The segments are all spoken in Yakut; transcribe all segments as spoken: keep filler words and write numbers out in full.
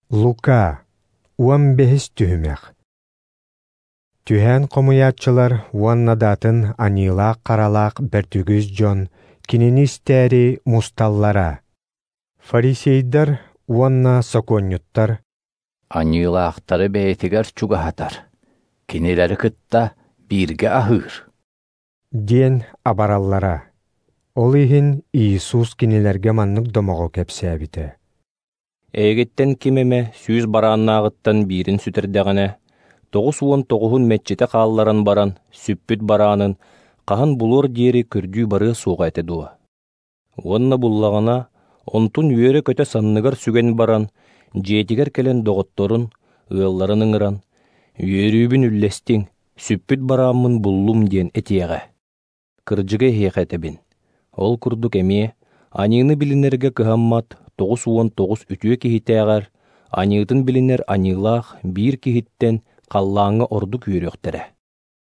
Лука, уон бэһис түһүмэх. Түһээн хомуйааччылар уонна да атын аньыылаах-харалаах бэрт үгүс дьон кинини истээри мусталлара. Фарисейдар уонна сокуонньуттар Аньыылаахтары бэйэтигэр чугаһатар, кинилэри кытта бииргэ аһыыр диэн абараллара. Ол иһин Иисус кинилэргэ маннык домоҕу кэпсээбитэ. Эйигиттэн ким эмэ сүүс барааннааҕыттан биирин сүтэрдэҕинэ, тоҕус уон тоҕуһун мэччитэ хаалларан баран, сүппүт бараанын хаһан булуор диэри көрдүү барыа суоҕа этэ дуо? Уонна буллаҕына, онтун үөрэ-көтө санныгар сүгэн баран, дьиэтигэр кэлэн доҕотторун, ыалларын ыҥыран, «Үөрүүбүн үллэстиҥ, сүппүт барааммын буллум» диэн этиэҕэ. Кырдьыга эһиэхэ этэбин, ол курдук эмиэ аньыыны билинэргэ кыһаммат тоҕус уон тоҕус үтүө киһитээҕэр аньыытын билинэр аньыылаах биир киһиттэн халлааҥҥа ордук үөрүөхтэрэ.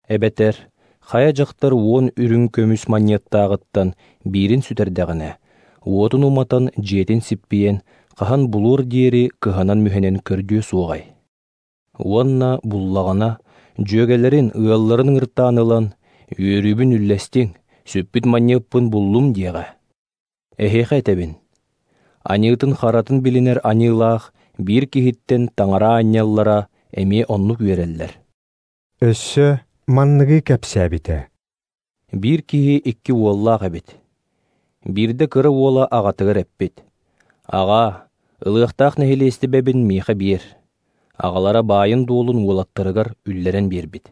Эбэтэр хайа дьахтар уон үрүҥ көмүс манньыаттааҕыттан биирин сүтэрдэҕинэ, уотун уматан дьиэтин сиппийэн, хаһан булуор диэри кыһанан-мүһэнэн көрдүө суоҕай. Уонна буллаҕына, дьүөгэлэрин, ыалларын ыҥыртаан ылан, «Үөрүүбүн үллэстиҥ, сүппүт манньыаппын буллум» диэҕэ. Эһиэхэ этэбин, аньыытын харатын билинэр аньыылаах биир киһиттэн таҥара аанньаллара эмиэ оннук үөрэллэр. Өссө манныгы кэпсээбитэ. Биир киһи икки уоллаах эбит. Биирдэ кыра уола аҕатыгар эппит: «Аҕаа, ылыахтаах нэһилиэстибэбин миэхэ биэр». Аҕалара баайын-дуолун уолаттарыгар үллэрэн биэрбит.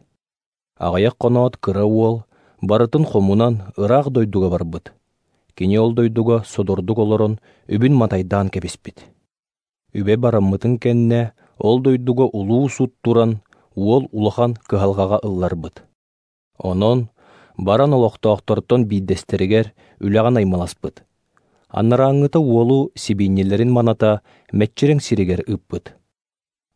Аҕыйах хоноот кыра уол барытын хомунан ыраах дойдуга барбыт. Кини ол дойдуга содордук олорон үбүн матайдаан кэбиспит. Үбэ бараммытын кэннэ ол дойдуга улуу сут туран уол улахан кыһалҕаҕа ылларбыт. Онон баран олохтоохтортон биирдэстэригэр үлэҕэ наймыласпыт. Анарааҥҥыта уолу сибиинньэлэрин маната мэччирэҥ сиригэр ыыппыт.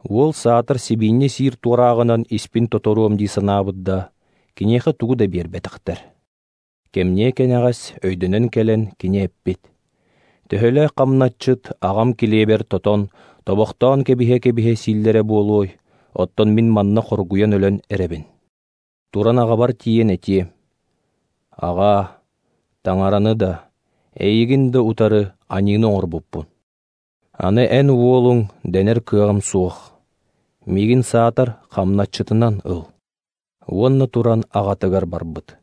Уол саатар сибиинньэ сиир туорааҕынан испин тоторуом дии санаабыт да, киниэхэ тугу да биэрбэтэхтэр. Кэмниэ кэнэҕэс өйдөнөн кэлэн кини эппит: «Төһөлөөх хамначчыт аҕам килиэбэр тотон, тобохтоон кэбиһэ-кэбиһэ сииллэрэ буолуой, оттон мин манна хоргуйан өлөн эрэбин. Туран аҕабар тиийэн этиэм: Аҕаа, таҥараны да, эйигин да утары аньыыны оҥорбуппун. Аны эн уолуҥ дэнэр кыаҕым суох. Миигин саатар хамначчытынан ыл». Уонна туран аҕатыгар барбыт.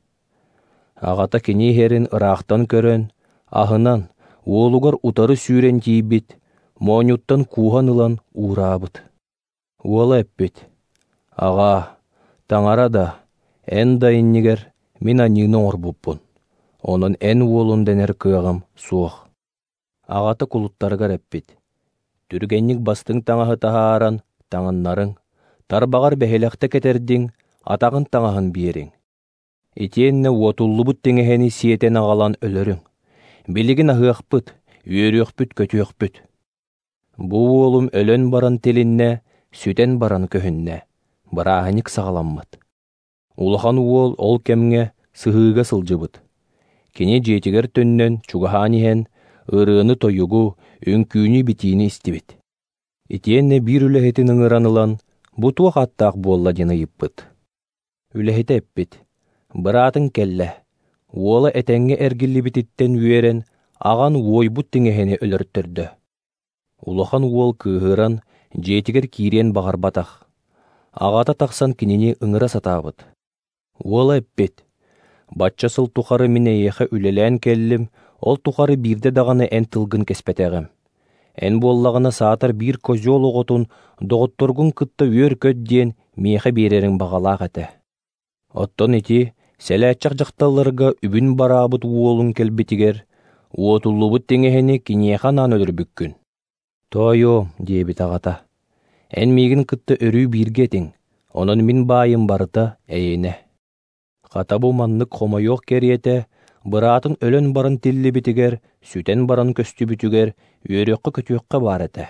Аҕата кини иһэрин ыраахтан көрөн, аһынан, уолугар утары сүүрэн тиийбит, моонньуттан кууһан ылан уураабыт. Уола эппит: «Аҕаа, таҥара да, эн да иннигэр мин аньыыны оҥорбуппун, онон эн уолун дэнэр кыаҕым суох». Аҕата кулуттарыгар эппит: «Түргэнник бастыҥ таҥаһы таһааран таҥыннарыҥ, тарбаҕар бэһилэхтэ кэтэрдиҥ, атаҕын таҥаһын биэриҥ. Итиэннэ уотуллубут тиҥэһэни сиэтэн аҕалан өлөрүҥ. Билигин аһыахпыт, үөрүөхпүт-көтүөхпүт. Бу уолум өлөн баран тилиннэ, сүтэн баран көһүннэ, бырааһынньык саҕаламмыт». Улахан уол ол кэмҥэ сыһыыга сылдьыбыт. Кини дьиэтигэр төннөн чугаһаан иһэн, ырыаны-тойугу, үҥкүүнү-битиини истибит. Итиэннэ биир үлэһитин ыҥыран ылан, бу туох ааттаах буолла диэн ыйыппыт. Үлэһитэ эппит: «Быраатыҥ кэллэ, уола этэҥҥэ эргиллибититтэн үөрэн, аҕан уойбут тиҥэһэни өлөртөрдө». Улахан уол кыыһыран дьиэтигэр киириэн баҕарбатах. Аҕата тахсан кинини ыҥыра сатаабыт. Уола эппит: «Бачча сыл тухары мин эйиэхэ үлэлээн кэллим, ол тухары биирдэ даҕаны эн тылгын кэспэтэҕим. Эн буоллаҕына саатар биир козел оҕотун доҕотторгун кытта үөр-көт диэн миэхэ биэрэриҥ баҕалаах этэ. Оттон ити сэлээччэх дьахталларга үбүн бараабыт уолуҥ кэлбитигэр, уотуллубут тиҥэһэни киниэхэ анаан өлөрбүккүн». «Тоойуом», диэбит аҕата, «эн миигин кытта өрүү бииргэ этиҥ, онон мин баайым барыта эйиэнэ». Хата бу маннык хомойуох кэриэтэ, быраатын өлөн баран тиллибитигэр, сүтэн баран көстүбүтүгэр үөрүөххэ-көтүөххэ баар этэ.